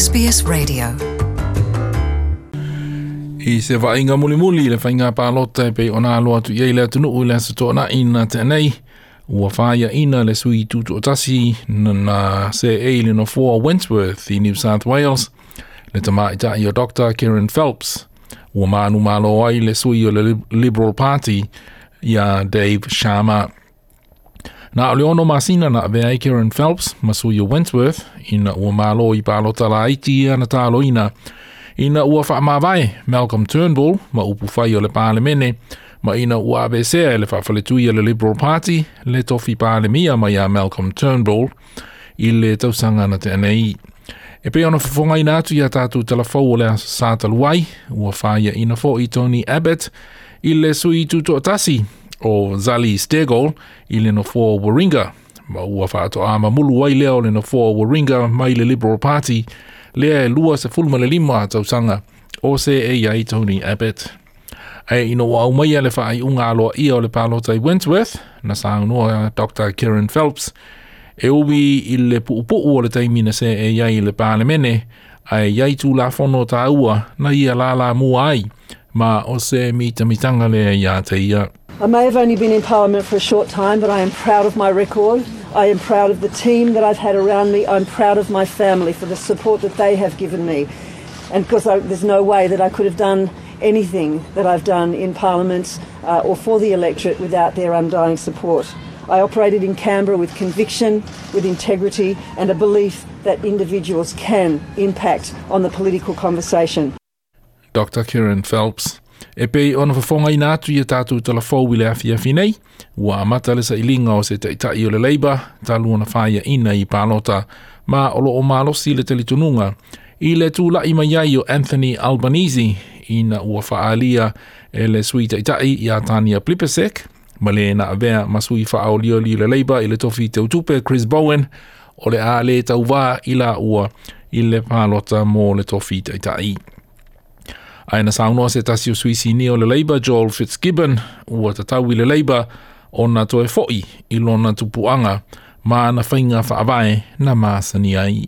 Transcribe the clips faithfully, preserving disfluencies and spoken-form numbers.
S B S Radio. I se vaaiga mulimuli le faiga palota e pei ona alo atu i ai le atunuu i le aso Toonai na tea nei, ua faiaina le sui tutoatasi na seei i le nofoa Wentworth i New South Wales, le tamaitai o Doctor Kerryn Phelps. Ua manumalo ai le sui o le Liberal Party ia Dave Sharma. Na o le ono masina na avea ai Kerryn Phelps ma sui o Wentworth ina ua malo i palota laiti ia na taloina ina ua faamavae Malcolm Turnbull ma upu fai o le Palemene ma ina ua aveesea e le faafaletui a le Liberal Party le tofi Palemia mai ia Malcolm Turnbull i le tausaga na tea nei. E pei ona fofogaina atu ia tatou talafou o le aso Sa talu ai, ua faiaina fo'i Tony Abbott i le sui tutoatasi o Zali Steggall i le nofoa Warringah, ma ua faatoa mamulu ai lea o le nofoa Warringah mai le Liberal Party lea e lua sefulu ma le lima tausaga o seei ai Tony Abbott. Ae ina ua aumaia le faaiuga aloaia o le palota i Wentworth, na saunoa Doctor Kerryn Phelps e ui i le puupuu o le taimi na seei ai i le Palemene, ae i ai tulafono taua na ia lalamua ai, ma o se mitamitanga lea ia te ia. I may have only been in Parliament for a short time, but I am proud of my record. I am proud of the team that I've had around me. I'm proud of my family for the support that they have given me. And because I, there's no way that I could have done anything that I've done in Parliament uh, or for the electorate without their undying support. I operated in Canberra with conviction, with integrity, and a belief that individuals can impact on the political conversation. Doctor Kerryn Phelps. E pei ona fofogaina atu ia tatou talafou i le afiafi nei, ua amata le sailiga o se taitai o le Labour talu ona faiaina i palota, ma o loo malosi le talitonuga i le tula'i mai ai o Anthony Albanese ina ua faaalia e le sui taitai ia Tania Plibersek ma le na avea ma sui faaolioli le Labour i le tofi teutupe Chris Bowen o le a le tauvā i la ua i le palota mo le tofi taitai. Ae na saunoa se tasi o sui sinia o le Labour Joel Fitzgibbon ua tatau i le Labour ona toe fo'i i lona tupuaga ma ana faiga faavae na masani ai.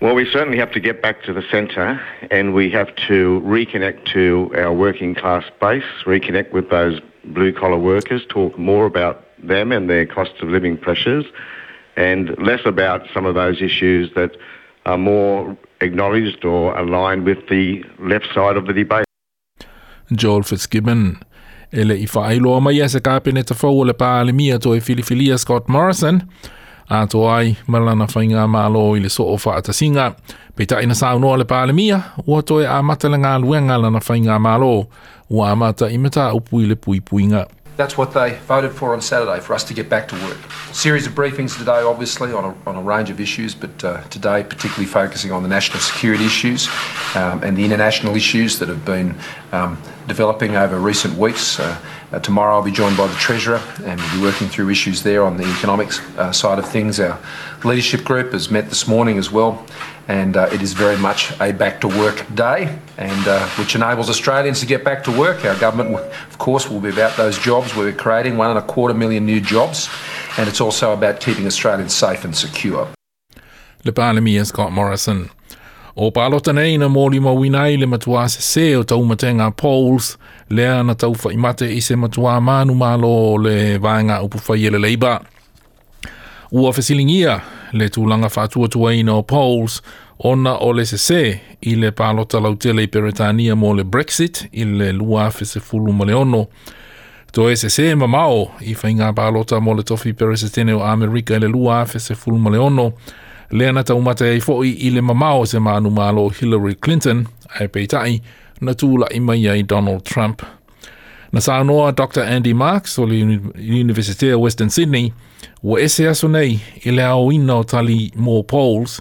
Well, we certainly have to get back to the centre and we have to reconnect to our working class base, reconnect with those blue collar workers, talk more about them and their cost of living pressures, and less about some of those issues that are more acknowledged or aligned with the left side of the debate. Joel Fitzgibbon. E le i faailoa mai e se kapeneta fou o le Palemia toe filifilia Scott Morrison, atoa ai ma lana faigamalo i le soo faatasiga. Peitai na saunoa le Palemia, ua toe amata le galuega lana faigamalo, ua amata i mataupu i le puipuiga. That's what they voted for on Saturday, for us to get back to work. A series of briefings today, obviously, on a, on a range of issues, but uh, today particularly focusing on the national security issues um, and the international issues that have been um, developing over recent weeks. Uh, uh, tomorrow I'll be joined by the Treasurer and we'll be working through issues there on the economics uh, side of things. Our leadership group has met this morning as well, and uh, it is very much a back to work day, and uh, which enables Australians to get back to work. Our government, of course, will be about those jobs. We're creating one and a quarter million new jobs, and it's also about keeping Australians safe and secure. Le Palemia Scott Morrison. O palota nei na molimauina ai le matuā sesē o taumatega polls lea na taufaimate i se matuā manumalo o le vaega upufai e le Labour. Ua fesiligia le tulaga faatuatuaina o polls ona o le sesē i le palota lautele i Peretania mo le Brexit i le lua afe sefulu ma le ono. Toe sesē mamao i faiga palota mo le tofi Peresetene o Amerika i le lua afe sefulu ma le ono, lea na taumate ai fo'i i le mamao se manumalo Hillary Clinton, ae peitai na tula'i mai ai Donald Trump. Na saunoa Doctor Andy Marks o le Universite o Western Sydney, ua ese aso nei i le aoina o tali mo polls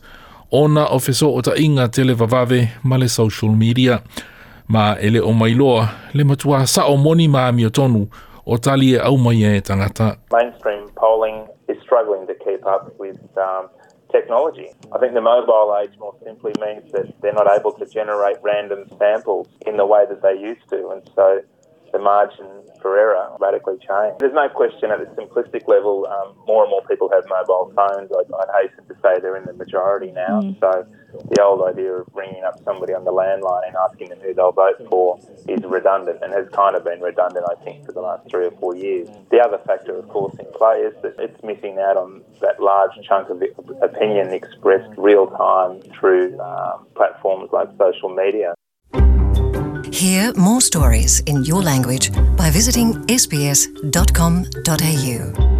ona o fesootaiga televavave ma le social media. Ma e le o mailoa le matua sao moni ma amiotonu o tali e aumai e tagata. Mainstream polling is struggling to keep up with um, technology. I think the mobile age more simply means that they're not able to generate random samples in the way that they used to, and so the margin for error radically change. There's no question at the simplistic level, um, more and more people have mobile phones. I'd, I'd hasten to say they're in the majority now. Mm. So the old idea of ringing up somebody on the landline and asking them who they'll vote for is redundant and has kind of been redundant, I think, for the last three or four years. The other factor, of course, in play is that it's missing out on that large chunk of opinion expressed real time through um, platforms like social media. Hear more stories in your language by visiting sbs dot com dot a u.